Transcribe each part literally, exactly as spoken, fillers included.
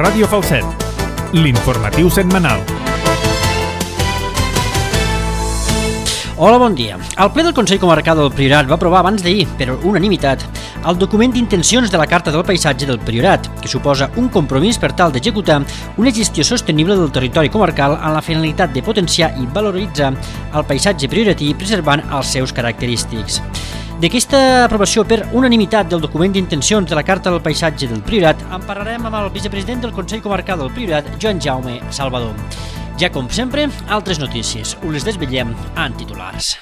Ràdio Falset, l'informatiu setmanal. Hola, bon dia. El ple del Consell Comarcal del Priorat va aprovar abans d'ahir, per unanimitat, el document d'intencions de la Carta del Paisatge del Priorat, que suposa un compromís per tal d'executar una gestió sostenible del territori comarcal amb la finalitat de potenciar i valoritzar el paisatge prioratí preservant els seus característics. D'aquesta aprovació per unanimitat del document d'intencions de la Carta del Paisatge del Priorat en parlarem amb el vicepresident del Consell Comarcal del Priorat, Joan Jaume Salvador. Ja com sempre, altres notícies. Us les desvetllem en titulars.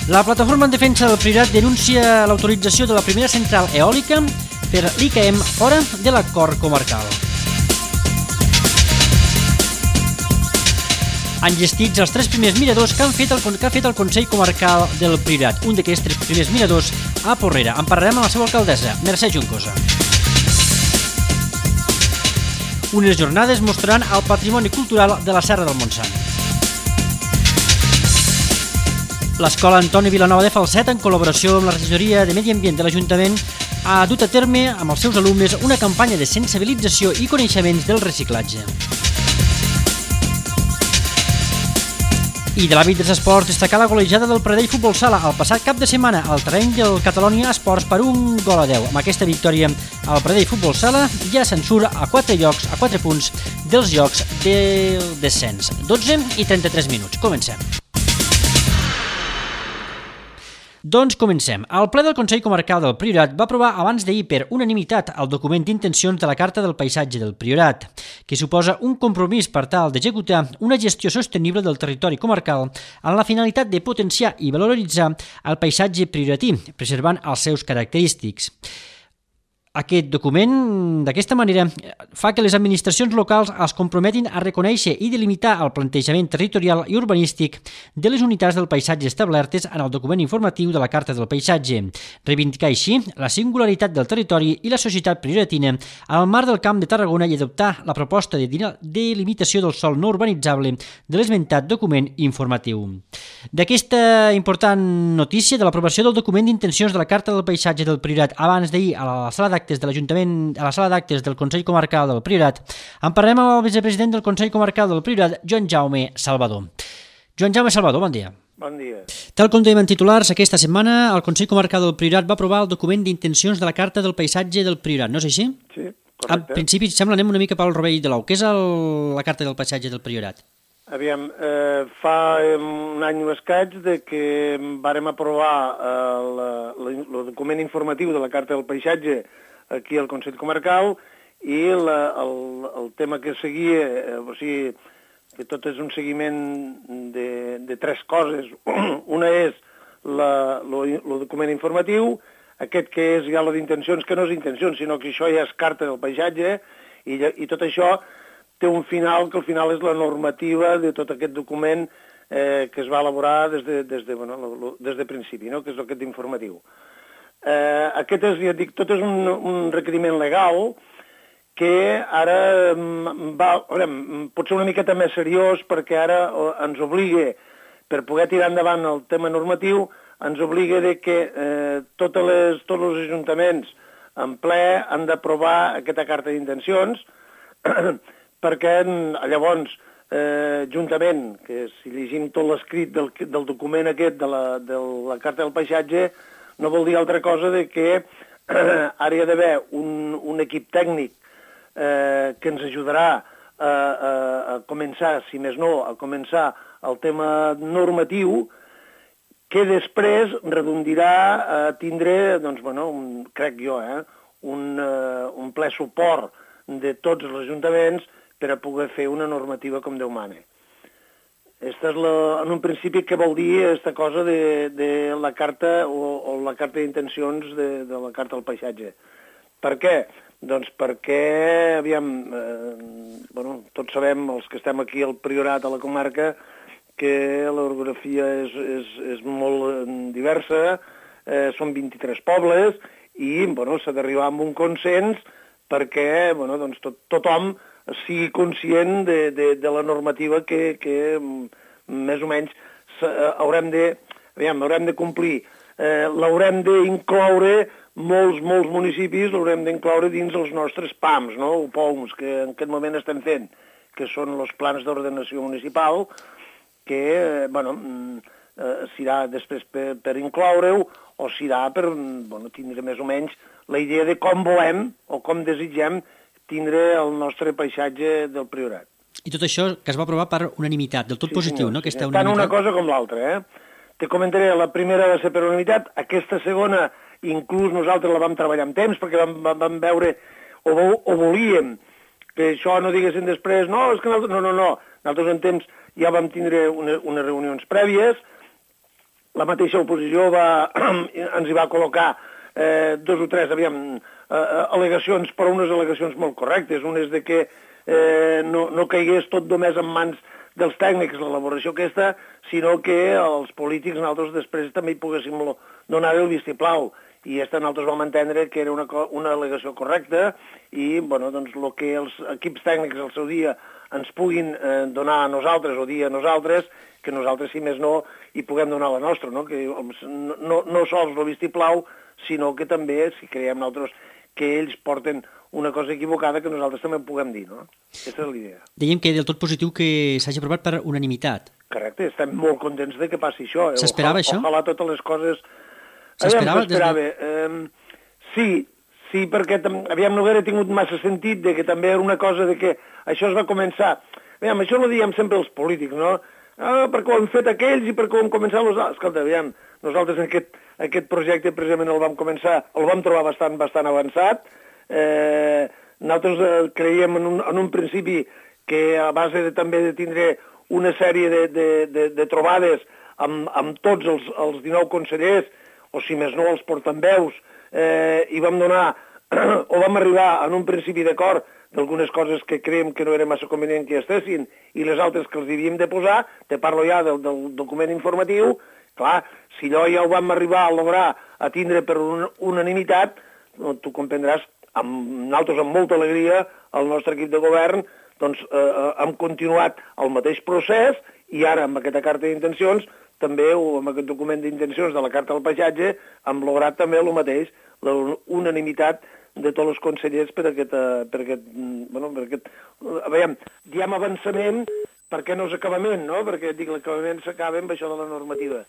La plataforma en defensa del Priorat denuncia l'autorització de la primera central eòlica per l'I C A E M fora de l'acord comarcal. Han gestits els tres primers miradors que, han fet el, que ha fet el Consell Comarcal del Priorat. Un d'aquests tres primers miradors a Porrera. En parlarem amb la seva alcaldessa, Mercè Juncosa. Unes jornades mostraran el patrimoni cultural de la Serra del Montsant. L'Escola Antoni Vilanova de Falset, en col·laboració amb la regidoria de Medi Ambient de l'Ajuntament, ha dut a terme amb els seus alumnes una campanya de sensibilització i coneixements del reciclatge. I de l'àmbit dels esports, destacar la golejada del Pradell Futbol Sala el passat cap de setmana al terreny del Catalonia Esports per un gol a deu. Amb aquesta victòria, el Pradell Futbol Sala ja se'n surt a quatre llocs, a quatre punts dels llocs del descens. dotze i trenta-tres minuts. Comencem. Doncs comencem. El ple del Consell Comarcal del Priorat va aprovar abans d'ahir per unanimitat el document d'intencions de la Carta del Paisatge del Priorat, que suposa un compromís per tal d'executar una gestió sostenible del territori comarcal amb la finalitat de potenciar i valoritzar el paisatge prioratí, preservant els seus característics. Aquest document, d'aquesta manera, fa que les administracions locals es comprometin a reconèixer i delimitar el plantejament territorial i urbanístic de les unitats del paisatge establertes en el document informatiu de la Carta del Paisatge, reivindicar així la singularitat del territori i la societat prioratina al marc del Camp de Tarragona i adoptar la proposta de delimitació del sòl no urbanitzable de l'esmentat document informatiu. D'aquesta important notícia de l'aprovació del document d'intencions de la Carta del Paisatge del Priorat abans d'ahir a la sala d'actes de l'Ajuntament, a la sala d'actes del Consell Comarcal del Priorat, en parlem amb el vicepresident del Consell Comarcal del Priorat, Joan Jaume Salvador. Joan Jaume Salvador, bon dia. Bon dia. Tal com dèiem en titulars, aquesta setmana el Consell Comarcal del Priorat va aprovar el document d'intencions de la Carta del Paisatge del Priorat, no és així? Sí, correcte. En principi, sembla, anem una mica pel rovell de l'ou. Què és el, la Carta del Paisatge del Priorat? Aviam, eh, fa un any o escaig de que vàrem aprovar el document informatiu de la Carta del Paisatge aquí al Consell Comarcal i la, el, el tema que seguia, eh, o sigui, que tot és un seguiment de, de tres coses. Una és el document informatiu, aquest que és ja la d'intencions, que no és intencions, sinó que això ja és Carta del Paisatge, i, i tot això té un final, que al final és la normativa de tot aquest document eh, que es va elaborar des de, des de, bueno, lo, lo, des de principi, no? Que és aquest informatiu. Eh, aquest és, ja dic, tot és un, un requeriment legal que ara va, veurem, pot ser una miqueta més seriós perquè ara ens obliga, per poder tirar endavant el tema normatiu, ens obliga de que eh, totes les, tots els ajuntaments en ple han d'aprovar aquesta carta d'intencions perquè llavors, eh, juntament, que si llegim tot l'escrit del, del document aquest de la, de la Carta del Paisatge, no vol dir altra cosa de que eh, ara hi ha d'haver un, un equip tècnic eh, que ens ajudarà a, a, a començar, si més no, a començar el tema normatiu, que després redondirà a tindre, doncs, bueno, un, crec jo, eh, un, uh, un ple suport de tots els ajuntaments per a poder fer una normativa com Déu mana. Esta és la, en un principi què vol dir aquesta cosa de, de la carta o, o la carta d'intencions de, de la Carta del Paisatge. Per què? Doncs perquè, aviam, eh, bueno, tots sabem, els que estem aquí al Priorat, a la comarca, que l'orografia és, és, és molt diversa, eh, són vint-i-tres pobles, i bueno, s'ha d'arribar amb un consens perquè bueno, doncs tot, tothom sigui conscient de, de, de la normativa que, que més o menys haurem de, aviam, haurem de complir eh, l'haurem d'incloure, molts, molts municipis l'haurem d'incloure dins els nostres P A Ms, no? o P O Ms, que en aquest moment estem fent, que són els plans d'ordenació municipal, que, eh, bueno, eh, serà després per, per incloure-ho, o serà per, bueno, tindre més o menys la idea de com volem o com desitgem tindre el nostre paisatge del Priorat. I tot això que es va aprovar per unanimitat, del tot Sí, positiu, senyor, no? sí, Aquesta tant unanimitat. una cosa com l'altra, eh? Te comentaré, la primera va ser per unanimitat, aquesta segona, inclús nosaltres la vam treballar amb temps, perquè vam, vam, vam veure, o, o volíem, que això no diguessin després, no, és que nosaltres, no, no, no, nosaltres en temps ja vam tindre una, unes reunions prèvies, la mateixa oposició va, ens hi va col·locar eh, dos o tres, aviam, eh, al·legacions, però unes al·legacions molt correctes, unes de que eh, no, no caigués tot només en mans dels tècnics l'elaboració aquesta, sinó que els polítics nosaltres després també hi poguéssim donar el vistiplau. I aquesta nosaltres vam entendre que era una, una al·legació correcta i, bueno, doncs, el que els equips tècnics al seu dia ens puguin eh, donar a nosaltres o dir a nosaltres, que nosaltres, si més no, hi puguem donar la nostra, no? Que no, no, no sols el vistiplau, sinó que també, si creiem nosaltres que ells porten una cosa equivocada, que nosaltres també en puguem dir, no? Aquesta és l'idea. Dèiem que del tot positiu que s'hagi aprovat per unanimitat. Correcte, estem molt contents de que passi això. Eh? S'esperava això? Ojalà totes les coses... S'esperava? S'esperava. De... Eh, sí, sí, perquè aviam, no hauria tingut massa sentit de que també era una cosa de que això es va començar... Aviam, això no ho diem sempre els polítics, no? Ah, perquè ho han fet aquells i perquè ho han començat els altres. Escolta, aviam, nosaltres aquest, aquest projecte precisament el vam començar, el vam trobar bastant, bastant avançat. Eh, nosaltres eh, creiem en un, en un principi que a base de, també de tindre una sèrie de, de, de, de trobades amb, amb tots els, els dinou consellers, o si més no els portaveus, eh, i vam donar, o vam arribar en un principi d'acord d'algunes coses que creiem que no era massa convenient que estessin i les altres que els havíem de posar, te parlo ja del, del document informatiu, clar, si allò ja ho vam arribar a lograr a tindre per un, unanimitat, no, tu comprendràs, amb nosaltres amb molta alegria, el nostre equip de govern, doncs eh, hem continuat el mateix procés i ara amb aquesta carta d'intencions, també, o amb aquest document d'intencions de la carta del paisatge, hem lograt també el mateix, la unanimitat de tots els consellers per aquest, per aquest, bueno, per aquest, a veure, diem avançament perquè no és acabament, no? Perquè dic, l'acabament s'acaba amb això de la normativa.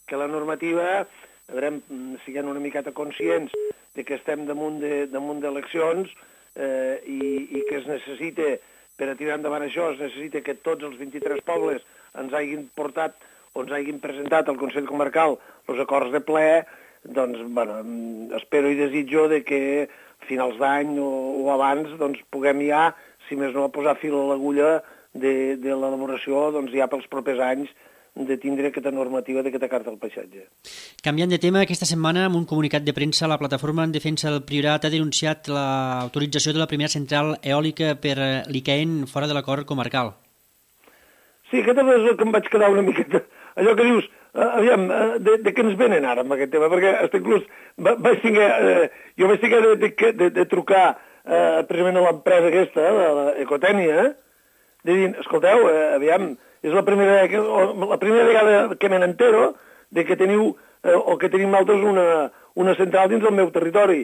Que la normativa, a veure, siguem una miqueta conscients de que estem damunt de, damunt d'eleccions eh, i, i que es necessita, per a tirar endavant això, es necessita que tots els vint-i-tres pobles ens hagin portat o ens hagin presentat al Consell Comarcal els acords de ple, doncs, bueno, espero i desitjo de que a finals d'any o, o abans doncs, puguem ja, si més no, posar fil a l'agulla de, de l'elaboració doncs, ja pels propers anys de tindre aquesta normativa d'aquesta carta del paisatge. Canviant de tema, aquesta setmana, amb un comunicat de premsa, la Plataforma en Defensa del Priorat ha denunciat l'autorització de la primera central eòlica per l'I C A E N fora de l'acord comarcal. Sí, aquest és el que em vaig quedar una miqueta... Allò que dius, uh, aviam, uh, de, de què ens venen ara amb aquest tema? Perquè hasta inclús va, vaig tinguer, uh, jo vaig tinguer de, de, de, de trucar uh, precisament a l'empresa aquesta, la, la Ecotènia, de dir, escolteu, uh, aviam, és la primera, la primera vegada que me n'entero de que teniu, uh, o que tenim nosaltres una, una central dins del meu territori.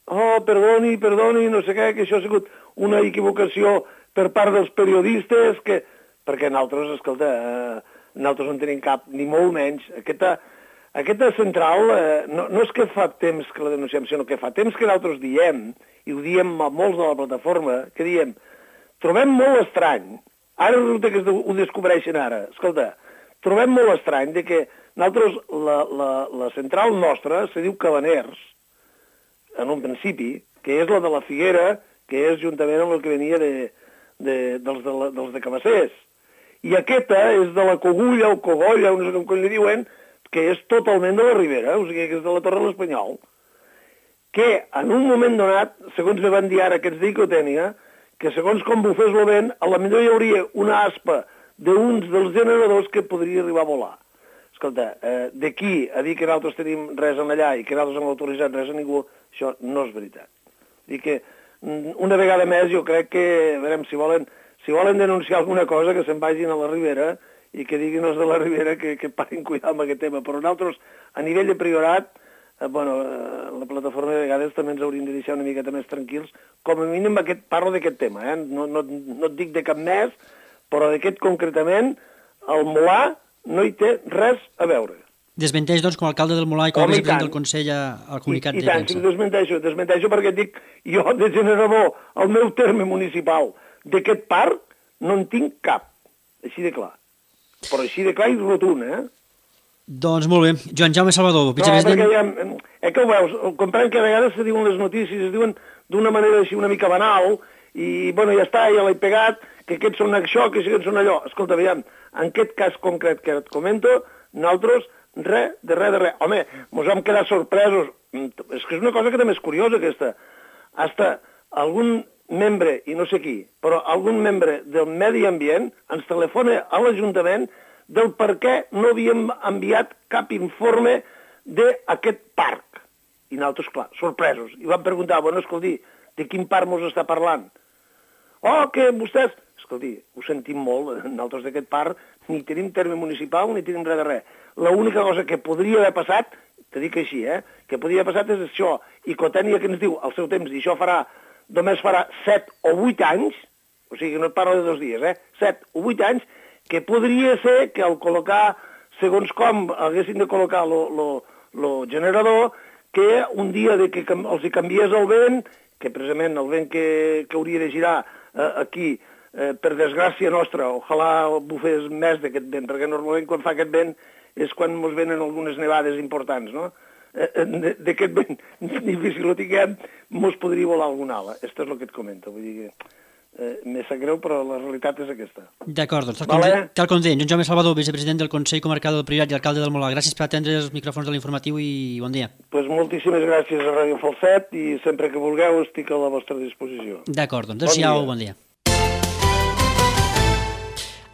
Oh, perdoni, perdoni, no sé què, que això ha sigut una equivocació per part dels periodistes, que... perquè nosaltres, escolta, eh, nosaltres no tenim cap, ni molt menys. Aquesta, aquesta central, eh, no, no és que fa temps que la denunciem, sinó que fa temps que nosaltres diem, i ho diem a molts de la plataforma, que diem, trobem molt estrany, ara resulta que ho descobreixen ara, escolta, trobem molt estrany de que nosaltres, la, la, la central nostra, se diu Cabaners, en un principi, que és la de la Figuera, que és juntament amb el que venia de, de, dels, de la, dels de Cabassers. I aquesta és de la Cogulla o Cogolla, no sé com li diuen, que és totalment de la Ribera, o sigui que és de la Torre de l'Espanyol, que en un moment donat, segons me van dir ara aquests d'Icotènia, que segons com bufés el vent, a la millor hi hauria una aspa d'uns dels generadors que podria arribar a volar. Escolta, eh, d'aquí a dir que nosaltres tenim res en allà i que nosaltres hem autoritzat res a ningú, això no és veritat. Dir que una vegada més jo crec que, veurem, si volen, si volen denunciar alguna cosa, que se'n vagin a la Ribera i que diguin els de la Ribera que, que parin cuidar amb aquest tema. Però nosaltres, a nivell de Priorat, eh, bueno, eh, la plataforma de vegades també ens hauríem de deixar una miqueta més tranquils. Com a mínim aquest, parlo d'aquest tema, eh? no, no, no et dic de cap més, però d'aquest concretament, el Molar no hi té res a veure. Desmenteix, doncs, com a alcalde del Molar i com a vicepresident del Consell al comunicat I, i de tant, premsa. I desmenteixo, desmenteixo perquè dic, jo de generador, el meu terme municipal d'aquest parc, no en tinc cap, així de clar. Però així de clar i rotund, eh? Doncs molt bé. Joan Jaume Salvador, vicepresident... No, perquè ja, eh, que ho veus, comprenc que a vegades se diuen les notícies, es diuen d'una manera així una mica banal, i, bueno, ja està, ja l'he pegat, que aquests són això, que aquests són allò. Escolta, aviam, en aquest cas concret que et comento, nosaltres, res, de res, de res. Home, mos vam quedar sorpresos. És que és una cosa que també és curiosa, aquesta. Hasta algun membre, i no sé qui, però algun membre del Medi Ambient ens telefona a l'Ajuntament del per què no havíem enviat cap informe d'aquest parc. I nosaltres, clar, sorpresos. I vam preguntar, bueno, escolti, de quin parc mos està parlant? Oh, que vostès... Escolti, ho sentim molt, nosaltres d'aquest parc ni tenim terme municipal ni tenim res de res. L'única cosa que podria haver passat, te dic així, eh, que podria haver passat és això, i Cotènia que ens diu al seu temps, i això farà, només farà set o vuit anys, o sigui que no et parlo de dos dies, eh, set o vuit anys, que podria ser que al col·locar, segons com haguessin de col·locar el generador, que un dia de que els hi canviés el vent, que precisament el vent que, que hauria de girar eh, aquí, eh, per desgràcia nostra, ojalà bufés més d'aquest vent, perquè normalment quan fa aquest vent és quan ens venen algunes nevades importants, no? Eh, d'aquest vent difícil ho tinguem, ens podria volar alguna ala. Això és el que et comento, vull dir que eh, me sap greu, però la realitat és aquesta. D'acord, doncs, tal, vale. com, tal com deia, Joan Jaume Salvador, vicepresident del Consell Comarcal del Priorat i alcalde del Molar. Gràcies per atendre els micròfons de l'informatiu i bon dia. Pues moltíssimes gràcies a Ràdio Falset i sempre que vulgueu estic a la vostra disposició. D'acord, doncs adéu-siau, bon dia.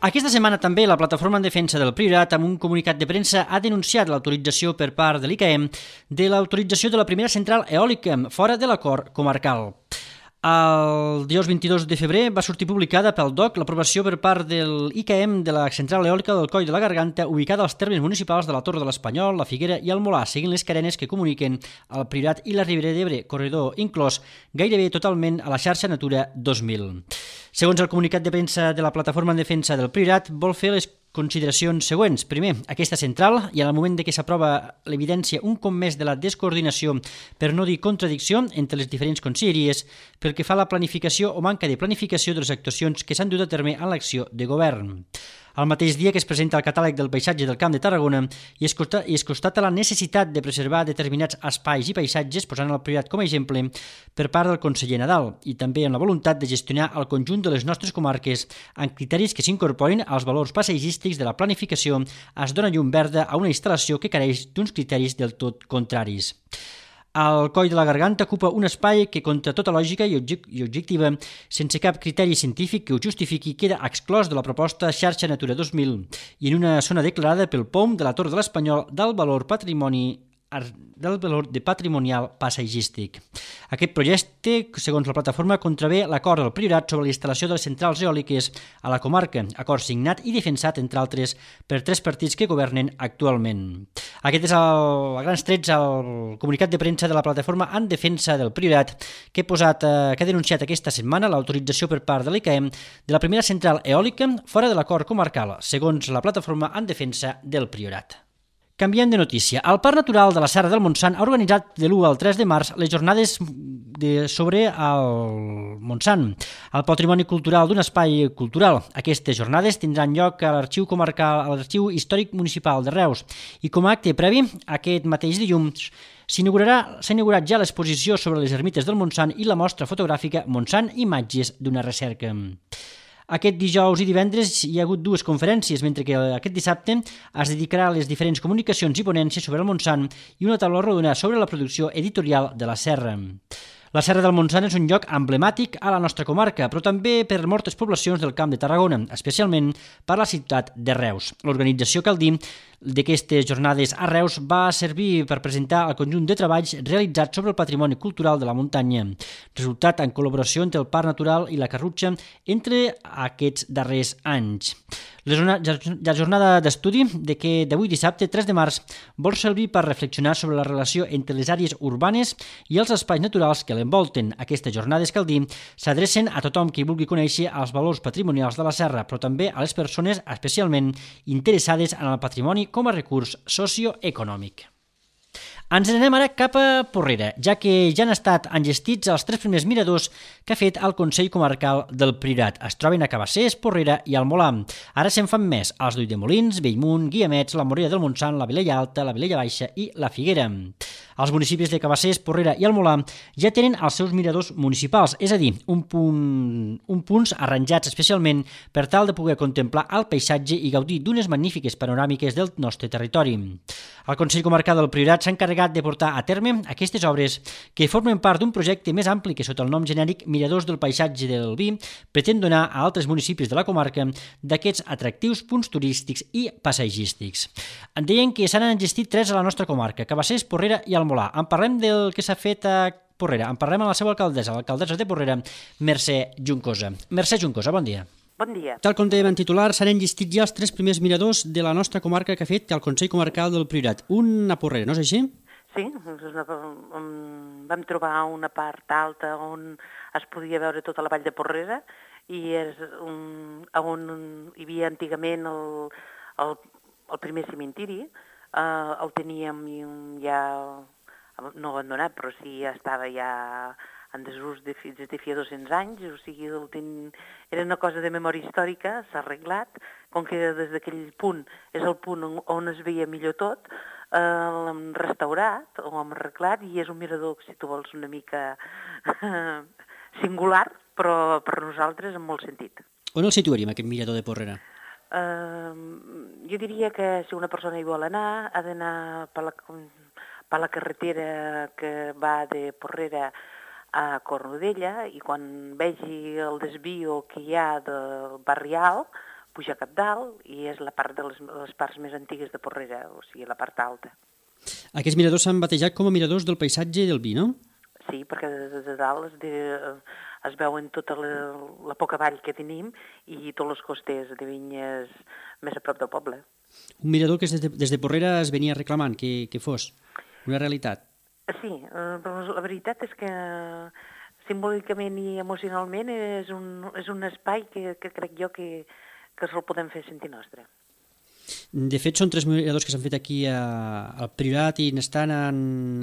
Aquesta setmana també la Plataforma en Defensa del Priorat, amb un comunicat de premsa, ha denunciat l'autorització per part de l'I C A E M de l'autorització de la primera central eòlica fora de l'acord comarcal. El dijous vint-i-dos de febrer va sortir publicada pel D O C l'aprovació per part del I C A E M de la central eòlica del Coll de la Garganta, ubicada als termes municipals de la Torre de l'Espanyol, la Figuera i el Molar, seguint les cadenes que comuniquen el Priorat i la Ribera d'Ebre, corredor inclòs gairebé totalment a la xarxa Natura dos mil. Segons el comunicat de premsa de la Plataforma en Defensa del Priorat, vol fer les consideracions següents. Primer, aquesta central, i en el moment de que s'aprova l'evidència un cop més de la descoordinació, per no dir contradicció, entre les diferents conselleries, pel que fa a la planificació o manca de planificació de les actuacions que s'han dut a terme en l'acció de govern. El mateix dia que es presenta el catàleg del paisatge del Camp de Tarragona i es, constata, i es constata la necessitat de preservar determinats espais i paisatges, posant el Priorat com a exemple, per part del conseller Nadal, i també amb la voluntat de gestionar el conjunt de les nostres comarques amb criteris que s'incorporin als valors paisatgístics de la planificació, es dona llum verda a una instal·lació que careix d'uns criteris del tot contraris. El Coll de la Garganta ocupa un espai que, contra tota lògica i objectiva, sense cap criteri científic que ho justifiqui, queda exclòs de la proposta Xarxa Natura dos mil i en una zona declarada pel P O M de la Torre de l'Espanyol del valor patrimoni del valor de patrimonial paisatgístic. Aquest projecte, segons la plataforma, contravé l'acord del Priorat sobre la instal·lació de les centrals eòliques a la comarca, acord signat i defensat, entre altres, per tres partits que governen actualment. Aquest és el, a grans trets el comunicat de premsa de la plataforma en defensa del Priorat que, he posat, eh, que ha denunciat aquesta setmana l'autorització per part de l'I C A E M de la primera central eòlica fora de l'acord comarcal, segons la plataforma en defensa del Priorat. Canviem de notícia. El Parc Natural de la Serra del Montsant ha organitzat de l'u al tres de març les jornades de, sobre el Montsant, el patrimoni cultural d'un espai cultural. Aquestes jornades tindran lloc a l'Arxiu Comarcal, a l'Arxiu Històric Municipal de Reus, i com a acte previ, aquest mateix dilluns, s'ha inaugurat ja l'exposició sobre les ermites del Montsant i la mostra fotogràfica Montsant Imatges d'una recerca. Aquest dijous i divendres hi ha hagut dues conferències, mentre que aquest dissabte es dedicarà a les diferents comunicacions i ponències sobre el Montsant i una taula rodona sobre la producció editorial de la Serra. La Serra del Montsant és un lloc emblemàtic a la nostra comarca, però també per moltes poblacions del Camp de Tarragona, especialment per la ciutat de Reus. L'organització, cal dir, d'aquestes jornades a Reus va servir per presentar el conjunt de treballs realitzats sobre el patrimoni cultural de la muntanya, resultat en col·laboració entre el Parc Natural i la Carrutxa entre aquests darrers anys. La jornada d'estudi de que d'avui dissabte tres de març vol servir per reflexionar sobre la relació entre les àrees urbanes i els espais naturals que l'envolten. Aquestes jornades, cal dir, s'adrecen a tothom qui vulgui conèixer els valors patrimonials de la serra, però també a les persones especialment interessades en el patrimoni com a recurs socioeconòmic. Ens n'anem ara cap a Porrera, ja que ja han estat enllestits els tres primers miradors que ha fet el Consell Comarcal del Priorat. Es troben a Cabassers, Porrera i al Molar. Ara se'n fan més als d'Ulldemolins, Bellmunt, Guiamets, la Morera del Montsant, la Vilella Alta, la Vilella Baixa i la Figuera. Els municipis de Cabassers, Porrera i el Molar ja tenen els seus miradors municipals, és a dir, un, punt, un punts arranjats especialment per tal de poder contemplar el paisatge i gaudir d'unes magnífiques panoràmiques del nostre territori. El Consell Comarcal del Priorat s'ha encarregat de portar a terme aquestes obres que formen part d'un projecte més ampli que sota el nom genèric Miradors del Paisatge del Vi pretén donar a altres municipis de la comarca d'aquests atractius punts turístics i paisatgístics. En deien que s'han enllestit tres a la nostra comarca, Cabassers, Porrera i el Molar. En parlem del que s'ha fet a Porrera. En parlem amb la seva alcaldessa, l'alcaldessa de Porrera, Mercè Juncosa. Mercè Juncosa, bon dia. Bon dia. Tal com dèiem en titular, s'han enllestit ja els tres primers miradors de la nostra comarca que ha fet el Consell Comarcal del Priorat. Un a Porrera, no és així? Sí, vam trobar una part alta on es podia veure tota la vall de Porrera i és un, on hi havia antigament el, el, el primer cementiri. Uh, el teníem ja, no abandonat, però sí ja estava ja en desús de, des de feia dos-cents anys, o sigui, el ten... era una cosa de memòria històrica, s'ha arreglat, com que des d'aquell punt és el punt on, on es veia millor tot, eh, l'hem restaurat, o hem arreglat, i és un mirador, si tu vols, una mica singular, però per nosaltres en molt sentit. On el situaríem, aquest mirador de Porrera? Uh, jo diria que si una persona hi vol anar, ha d'anar per la, per la carretera que va de Porrera a Cornudella i quan vegi el desvio que hi ha del barri alt, puja cap dalt i és la part de les, les parts més antigues de Porrera, o sigui, la part alta. Aquests miradors s'han batejat com a miradors del paisatge del vi, no? Sí, perquè de, de dalt es, de, es veuen tota la, la poca vall que tenim i tots els costers de vinyes més a prop del poble. Un mirador que des de, des de Porrera es venia reclamant que, que fos una realitat. Sí, però la veritat és que simbòlicament i emocionalment és un, és un espai que, que crec jo que, que se'l podem fer sentir nostre. De fet, són tres miradors que s'han fet aquí a, al Priorat i n'estan en,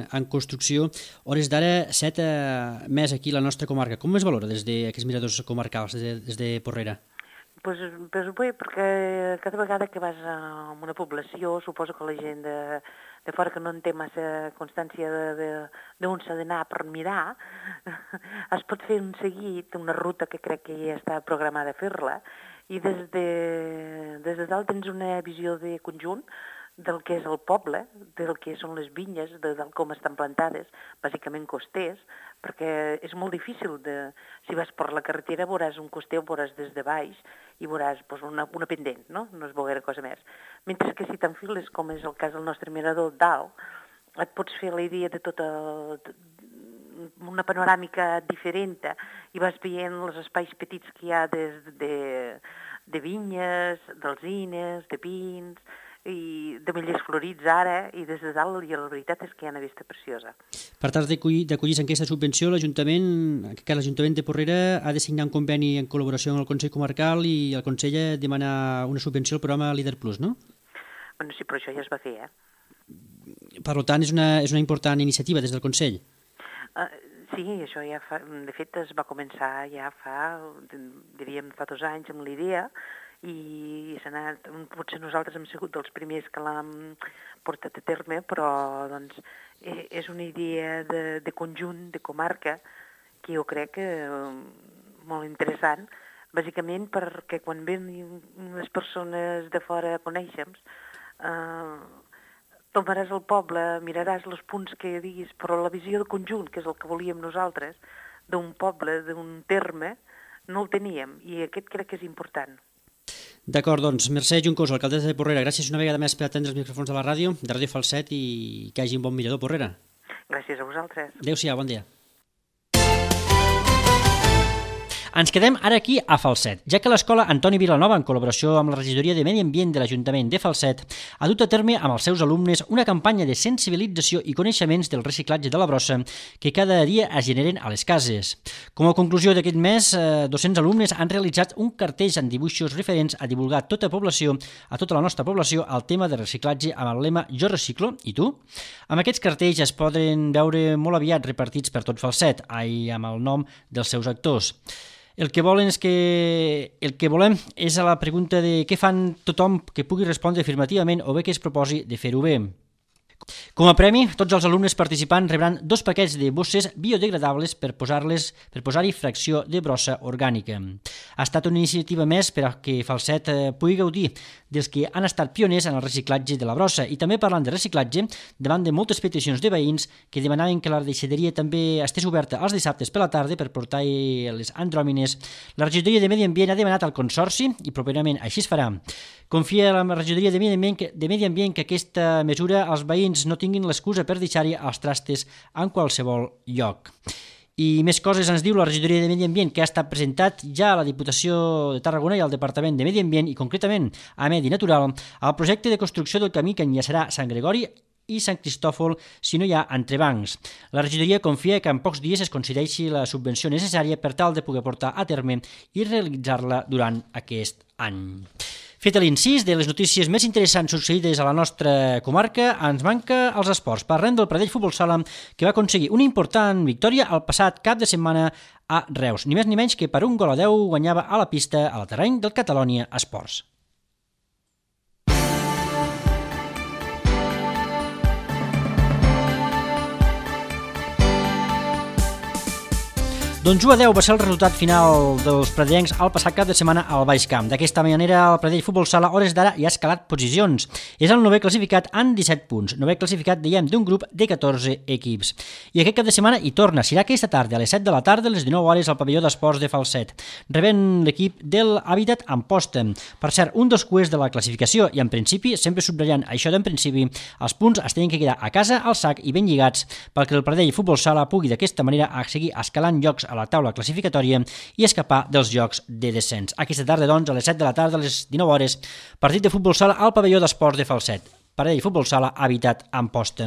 en construcció. Hores d'ara, set eh, més aquí a la nostra comarca. Com es valora des d'aquests miradors comarcals, des de, des de Porrera? Pues, pues bé, perquè cada vegada que vas a una població, suposo que la gent de, de fora que no en té massa constància d'on s'ha d'anar per mirar, es pot fer un seguit, una ruta que crec que ja està programada a fer-la, i des de, des de dalt tens una visió de conjunt del que és el poble, del que són les vinyes, de, del com estan plantades, bàsicament costers, perquè és molt difícil de... Si vas per la carretera veuràs un coster, ho veuràs des de baix i veuràs pues, una, una pendent, no? No es veurà cosa més. Mentre que si t'enfiles, com és el cas del nostre mirador dalt, et pots fer la idea de tota... una panoràmica diferent i vas veient els espais petits que hi ha des de, de vinyes, d'alzines, de pins i de millers florits ara i des de dalt i la veritat és que hi ha una vista preciosa. Per tal d'acollir-se en aquesta subvenció, l'Ajuntament, que l'Ajuntament de Porrera ha de signar un conveni en col·laboració amb el Consell Comarcal i el Consell ha de demanar una subvenció al programa Líder Plus, no? Bueno, sí, però això ja es va fer, eh? Per tant, és una, és una important iniciativa des del Consell. Uh, sí, això ja fa, de fet es va començar ja fa, diríem, fa dos anys amb l'idea i s'ha anat, potser nosaltres hem sigut dels primers que l'hem portat a terme, però doncs és una idea de, de conjunt, de comarca, que jo crec que molt interessant, bàsicament perquè quan ven les persones de fora a conèixer-nos, eh, tomaràs el poble, miraràs els punts que diguis, però la visió de conjunt, que és el que volíem nosaltres, d'un poble, d'un terme, no el teníem, i aquest crec que és important. D'acord, doncs, Mercè Juncosa, alcaldessa de Porrera, gràcies una vegada més per atendre els micròfons de la ràdio, de Ràdio Falset, i que hagi un bon mirador, Porrera. Gràcies a vosaltres. Adéu-siau, bon dia. Ens quedem ara aquí a Falset, ja que l'escola Antoni Vilanova, en col·laboració amb la regidoria de Medi Ambient de l'Ajuntament de Falset, ha dut a terme amb els seus alumnes una campanya de sensibilització i coneixements del reciclatge de la brossa que cada dia es generen a les cases. Com a conclusió d'aquest mes, eh, dos-cents alumnes han realitzat un cartell amb dibuixos referents a divulgar a tota població, a tota la nostra població, el tema de reciclatge amb el lema Jo reciclo, i tu? Amb aquests cartells es poden veure molt aviat repartits per tot Falset, ai, amb el nom dels seus actors. El que volen és que el que volem és a la pregunta de què fan tothom que pugui respondre afirmativament o bé que es proposi de fer-ho bé. Com a premi, tots els alumnes participants rebran dos paquets de bosses biodegradables per posar-les per posar-hi fracció de brossa orgànica. Ha estat una iniciativa més per a que Falset pugui gaudir dels que han estat pioners en el reciclatge de la brossa, i també parlant de reciclatge, davant de moltes peticions de veïns que demanaven que la deixaderia també estés oberta els dissabtes per la tarda per portar les andròmines, la regidoria de Medi Ambient ha demanat al Consorci, i properament així es farà. Confia la regidoria de Medi Ambient que, de Medi Ambient que aquesta mesura els veïns no tinguin l'excusa per deixar-hi els trastes en qualsevol lloc. I més coses ens diu la regidoria de Medi Ambient, que ha estat presentat ja a la Diputació de Tarragona i al Departament de Medi Ambient, i concretament a Medi Natural, el projecte de construcció del camí que enllaçarà Sant Gregori i Sant Cristòfol si no hi ha entrebancs. La regidoria confia que en pocs dies es concedeixi la subvenció necessària per tal de poder portar a terme i realitzar-la durant aquest any. Fet l'incís de les notícies més interessants succeïdes a la nostra comarca, ens manca els esports. Parlem del Pradell Futbol Sala, que va aconseguir una important victòria el passat cap de setmana a Reus. Ni més ni menys que per un gol a deu guanyava a la pista a la terreny del Catalonia Esports. Doncs u a deu va ser el resultat final dels pradellencs al passat cap de setmana al Baix Camp. D'aquesta manera, el Pradell Futbol Sala, a hores d'ara, ja ha escalat posicions. És el novè classificat amb disset punts. Novè classificat, dèiem, d'un grup de catorze equips. I aquest cap de setmana hi torna. Serà aquesta tarda, a les set de la tarda, a les dinou hores, al pavelló d'esports de Falset, rebent l'equip del Hàbitat Amposta. Per cert, un dels cuers de la classificació, i en principi, sempre subratllant això d'en principi, els punts es tenen que quedar a casa, al sac i ben lligats, perquè el Pradell Futbol Sala pugui d'aquesta manera seguir escalant llocs a la taula classificatòria i escapar dels jocs de descens. Aquesta tarda, doncs, a les set de la tarda, a les dinou hores, partit de futbol sala al pavelló d'esports de Falset. Pradell Futbol Sala, Hàbitat Amposta.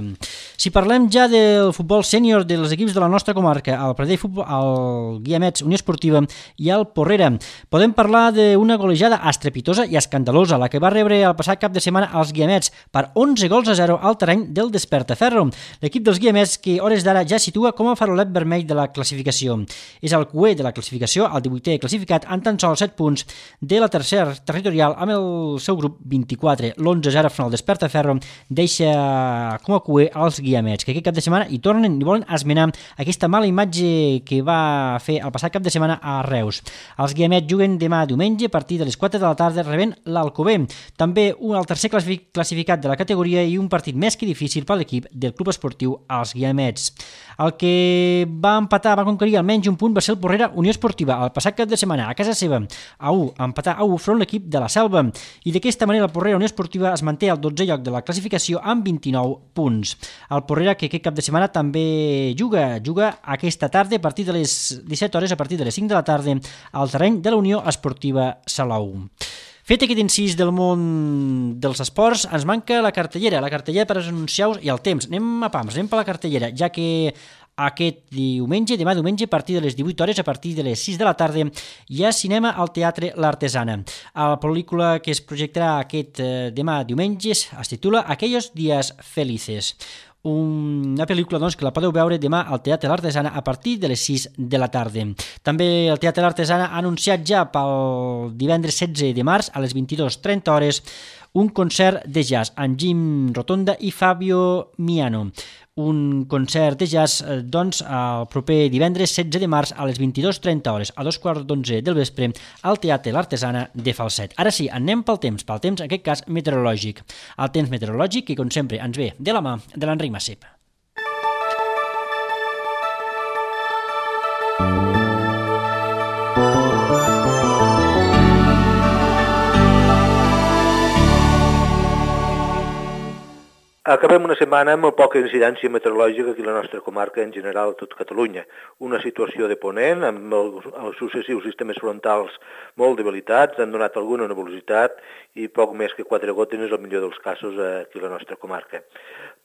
Si parlem ja del futbol sènior dels equips de la nostra comarca, el Pradell Futbol, el Guiamets, Unió Esportiva i el Porrera, podem parlar d'una golejada estrepitosa i escandalosa, la que va rebre el passat cap de setmana als Guiamets per onze gols a zero al terreny del Despertaferro. L'equip dels Guiamets, que hores d'ara ja situa com a farolet vermell de la classificació. És el cuer de la classificació, el divuitè classificat, amb tan sols set punts de la tercera territorial amb el seu grup vint-i-quatre. L'onze a zero front al Despertaferro deixa com a cuer als Guiamets, que aquest cap de setmana hi tornen i volen esmenar aquesta mala imatge que va fer el passat cap de setmana a Reus. Els Guiamets juguen demà diumenge a partir de les quatre de la tarda rebent l'Alcover, també un, el tercer classificat de la categoria, i un partit més que difícil per l'equip del Club Esportiu als Guiamets. El que va empatar, va conquerir almenys un punt, va ser el Porrera Unió Esportiva el passat cap de setmana a casa seva, a u, empatar a u front l'equip de la Selva, i d'aquesta manera el Porrera Unió Esportiva es manté al dotzè lloc de la classificació amb vint-i-nou punts. El Porrera, que aquest cap de setmana també juga, juga aquesta tarda a partir de les disset hores, a partir de les cinc de la tarda, al terreny de la Unió Esportiva Salou. Fet aquest incís del món dels esports, ens manca la cartellera, la cartellera per anunciar-vos i el temps. Anem a pams, anem per la cartellera, ja que aquest diumenge, demà diumenge, a partir de les divuit hores, a partir de les sis de la tarda, hi ha cinema al Teatre L'Artesana. La pel·lícula que es projectarà aquest eh, demà diumenge es titula Aquellos días felices. Una pel·lícula, doncs, que la podeu veure demà al Teatre L'Artesana a partir de les sis de la tarda. També el Teatre L'Artesana ha anunciat ja pel divendres setze de març a les vint-i-dues trenta hores un concert de jazz amb Jim Rotonda i Fabio Miano. Un concert de jazz, doncs, el proper divendres setze de març a les vint-i-dues trenta hores, a dos quarts d'onze del vespre, al Teatre L'Artesana de Falset. Ara sí, anem pel temps, pel temps, en aquest cas, meteorològic. El temps meteorològic, que com sempre ens ve de la mà de l'Enric Massip. Acabem una setmana amb molt poca incidència meteorològica aquí a la nostra comarca, en general a tot Catalunya. Una situació de ponent, amb els, els successius sistemes frontals molt debilitats, han donat alguna nebulositat i poc més que quatre gotes és el millor dels casos aquí a la nostra comarca.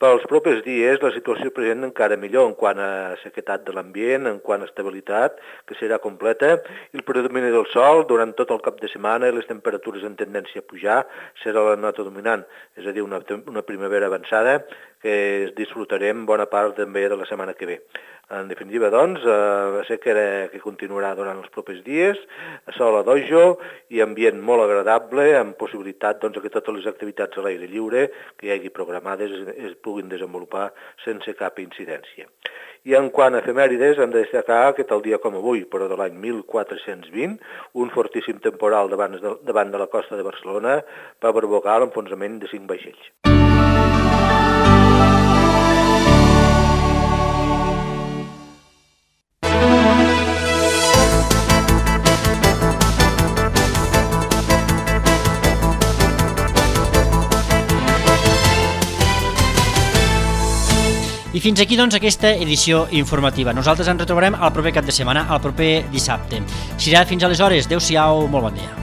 Pels propers dies la situació present encara millor en quant a sequetat de l'ambient, en quant a estabilitat, que serà completa, i el predomini del sol durant tot el cap de setmana i les temperatures en tendència a pujar serà la nota dominant, és a dir, una, una primavera avançada que disfrutarem bona part també de la setmana que ve. En definitiva, doncs, eh, sequera que continuarà durant els propers dies, sol a dojo i ambient molt agradable, amb possibilitat doncs, que totes les activitats a l'aire lliure que hi hagi programades es, es puguin desenvolupar sense cap incidència. I en quant a efemèrides, hem de destacar que tal dia com avui, però de l'any mil quatre-cents vint, un fortíssim temporal davant de, davant de la costa de Barcelona va provocar l'enfonsament de cinc vaixells. I fins aquí, doncs, aquesta edició informativa. Nosaltres ens retrobarem el proper cap de setmana, el proper dissabte. Serà fins aleshores. Adéu-siau, molt bon dia.